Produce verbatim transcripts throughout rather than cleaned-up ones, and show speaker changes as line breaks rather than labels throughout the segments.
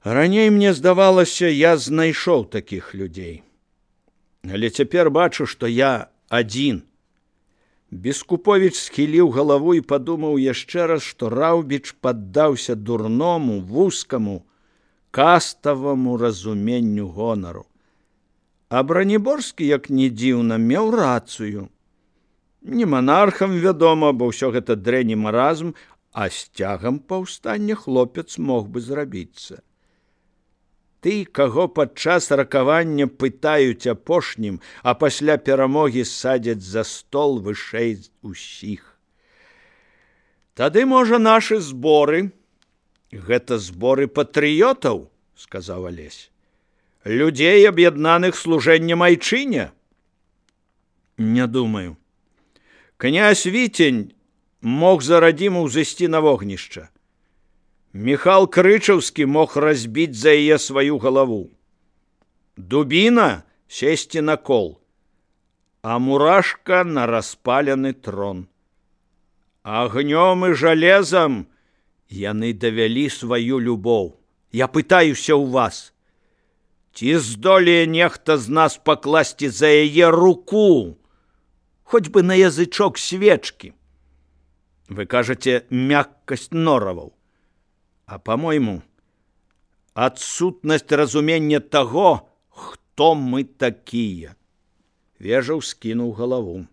Раней мне здавалася, я знайшоў такіх людзей. Але цяпер бачу, што я адзін. Бескуповіч схіліў галаву і падумаў яшчэ раз, што Раўбіч паддаўся дурному, вузкаму, каставаму разуменню гонару. А Браніборскі, як ні дзіўна, меў рацыю. Не манархам, вядома, бо ўсё гэта дрэнь і маразм, а сцягам паўстання хлопец мог бы зрабіцца. Ты, каго падчас ракавання пытаюць апошнім, а пасля перамогі садзяць за стол вышэй усіх. Тады, можа, нашы зборы, гэта зборы патрыётаў, сказаў Алесь, людзей, аб'яднаных служэннем айчыне? Не думаю. Князь Вітень мог за радзіму ўзысці на вогнішча. Міхал Крычаўскі мог разбіць за яе сваю галаву. Дубіна сесці на кол, а Мурашка на распалены трон. Агнём і жалезам яны давялі сваю любоў. Я пытаюся ў вас, ці здолее нехта з нас пакласці за яе руку, хоць бы на язычок свечкі? Вы кажаце, мяккасць нораваў. А, по-мойму, адсутнасць разумення таго, хто мы такія. Вежаў скінуў галаву.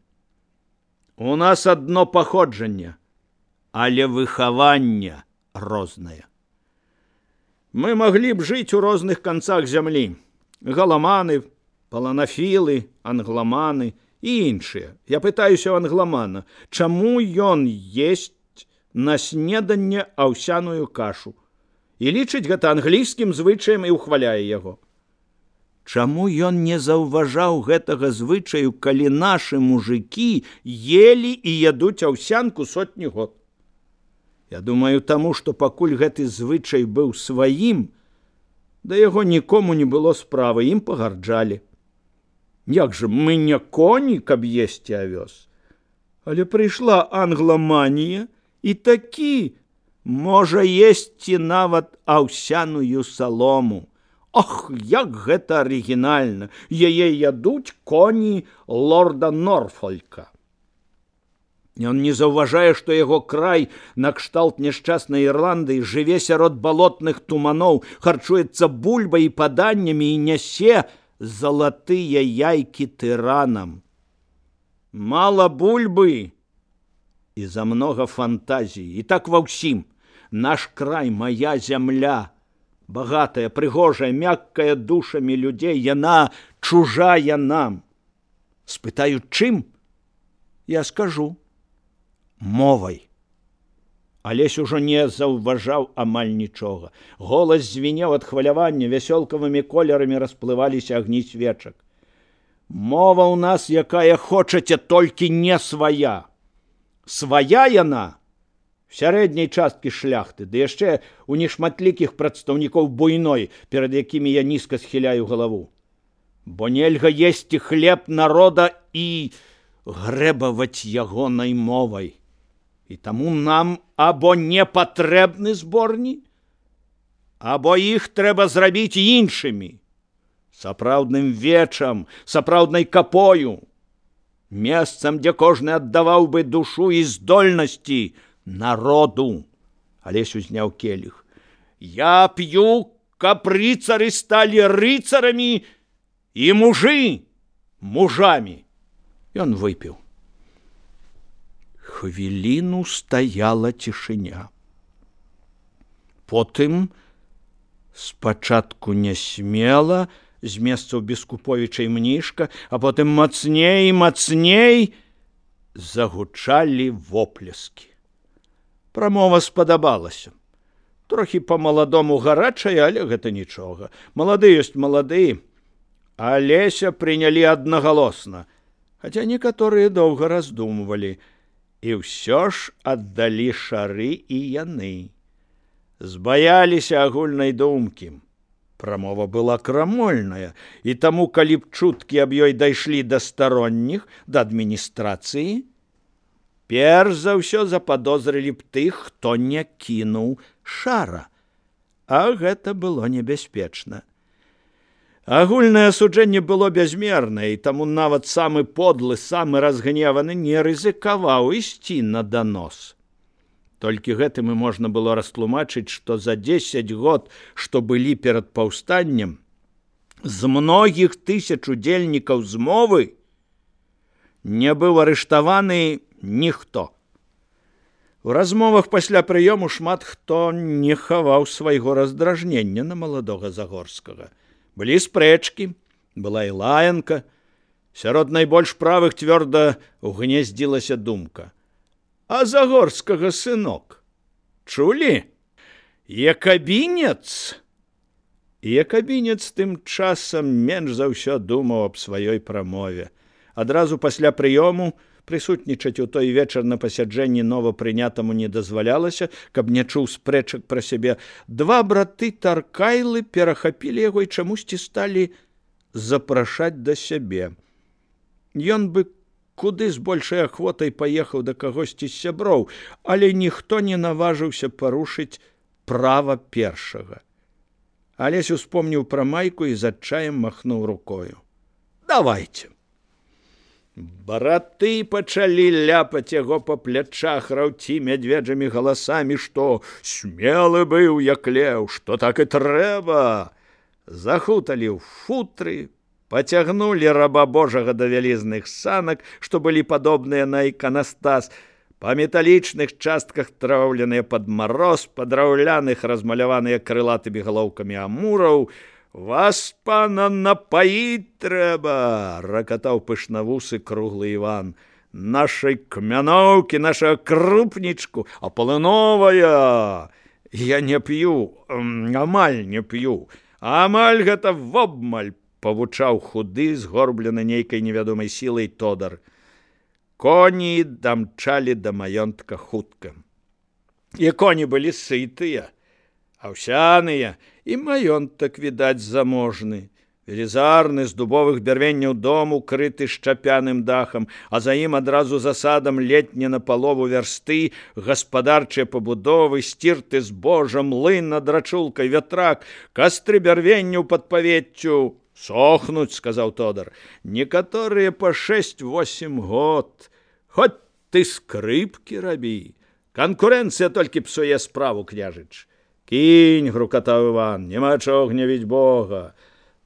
У нас адно паходжанне, але выхаванне рознае. Мы маглі б жыць у розных канцах зямлі. Галаманы, паланафілы, англаманы і іншыя. Я пытаюся ў англамана, чаму ён есць на снеданне аўсяную кашу і лічыць гэта англійскім звычаем і ўхваляе яго. Чаму ён не заўважаў гэтага звычаю, калі нашы мужыкі елі і ядуць аўсянку сотні год? Я думаю, таму, што пакуль гэты звычай быў сваім, да яго нікому не было справы, ім пагарджалі. Як жа, мы не коні, каб есці авёс? Але прыйшла англаманія, і такі можа есці нават аўсяную салому. Ох, як гэта арыгінальна! Яе ядуць коні лорда Норфолька. Ён не заўважае, што яго край накшталт няшчаснай Ірландыі жыве сярод балотных туманоў, харчуецца бульбай і паданнямі і нясе залатыя яйкі тыранам. Мала бульбы і за многа фантазіі. І так ва ўсім. Наш край, мая зямля, багатая, прыгожая, мяккая душамі людзей, яна чужая нам. Спытаю, чым? Я скажу. Мовай. Алесь ужо не заўважаў амаль нічога. Голас звінеў ад хвалявання, вясёлкавымі колерамі расплываліся агні свечак. Мова ў нас, якая хочаце, толькі не свая. Свая яна в сярэдняй часткі шляхты, ды яшчэ у нешматлікіх прадстаўнікоў буйной, перад якімі я нізка схіляю галаву. Бо нельга есці хлеб народа і грэбаваць ягонай мовай. І таму нам або не патрэбны зборні, або іх трэба зрабіць іншымі, сапраўдным вечам, сапраўднай капою, месцам, дзе кожны аддаваў бы душу і здольнасці народу. Алесь узняў келіх. Я п'ю, каб рыцары сталі рыцарамі і мужы мужамі. Ён выпіў. Хвіліну стаяла цішыня. Потым, спачатку нясмела, з месцаў Бескуповіча і Мнішка, а потым мацней і мацней загучалі воплескі. Прамова спадабалася. Трохі па-маладому гарачая, але гэта нічога. Малады ёсць малады. Алеся прынялі аднагалосна, хаця некаторыя доўга раздумвалі. І ўсё ж аддалі шары і яны. Збаяліся агульнай думкі. Прамова была крамольная, і таму, калі б чуткі аб ёй дайшлі да старонніх, да адміністрацыі, перш за ўсё западозрылі б тых, хто не кінуў шара. А гэта было небяспечна. Агульнае асуджэнне было бязмернае, і таму нават самы подлы, самы разгневаны не рызыкаваў ісці на данос. Толькі гэтым і можна было растлумачыць, што за дзесяць год, што былі перад паўстаннем, з многіх тысяч удзельнікаў змовы не быў арыштаваны ніхто. У размовах пасля прыёму шмат хто не хаваў свайго раздражнення на маладога Загорскага. Былі спрэчкі, была і лаянка. Сярод найбольш правых цвёрда угнездзілася думка: а Загорскага сынок чулі? Якабінец? Якабінец тым часам менш за ўсё думаў аб сваёй прамове. Адразу пасля прыёму прысутнічаць у той вечар на пасяджэнні новапрынятаму не дазвалялася, каб не чуў спрэчак пра сябе. Два браты Таркайлы перахапілі яго і чамусьці сталі запрашаць да сябе. Ён бы куды з большай ахвотай паехаў да кагосьці з сяброў, але ніхто не наважыўся парушыць права першага. Алесь успомніў пра майку і з адчаем махнуў рукою. Давайце. Браты пачалі ляпаць яго па плячах, раўці мядведжымі галасамі, што смелы быў як леў, што так і трэба. Захуталі ў футры, пацягнулі раба Божага да вялізных санак, што былі падобныя на іканастас, па металічных частках траўленыя пад мароз, па драўляных размаляваныя крылатымі галоўкамі амураў. Вас, пана, напаіць трэба, ракатаў пышнавусы круглы Іван. Нашай кмяноўкі, нашага крупнічку, а палыновая. Я не п'ю, амаль не п'ю. Амаль гэта вобмаль, павучаў худы, згорблены нейкай невядомай сілай Тодар. Коні дамчалі да маёнтка хутка. І коні былі сытыя, аўсяныя, і маёнтак, відаць, заможны. Велізарны, з дубовых бярвенняў дом, укрыты шчапяным дахам, а за ім адразу за садам летне на палову вярсты, гаспадарчыя пабудовы, сцірты збожа, млын над рачулкай, вятрак, кастры бярвенняў пад павеццю. Сохнуць, сказаў Тодар, некаторыя па шэсць-восем год. Хоць ты скрыпкі рабі. Канкурэнцыя толькі псуе справу, княжыч. Кінь, грукатаў Іван, няма чаго гнявіць Бога.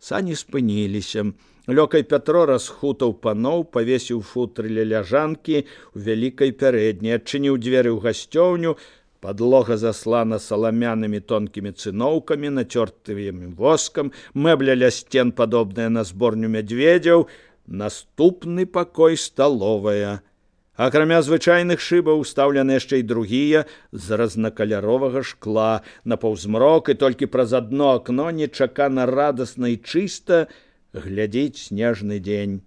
Сані спыніліся. Лёкай Пятро расхутаў паноў, павесіў футры ля ляжанкі ў вялікай пярэдняй, адчыніў дзверы ў гасцёўню. Падлога заслана саламянымі тонкімі цыноўкамі, нацёртымі воскам, мэбля ля сцен падобная на зборню мядзведзяў, наступны пакой сталовая. Акрамя звычайных шыбаў устаўлены яшчэ і другія з разнакаляровага шкла. На паўзмрок і толькі праз адно акно нечакана радасна і чыста глядзіць снежны дзень.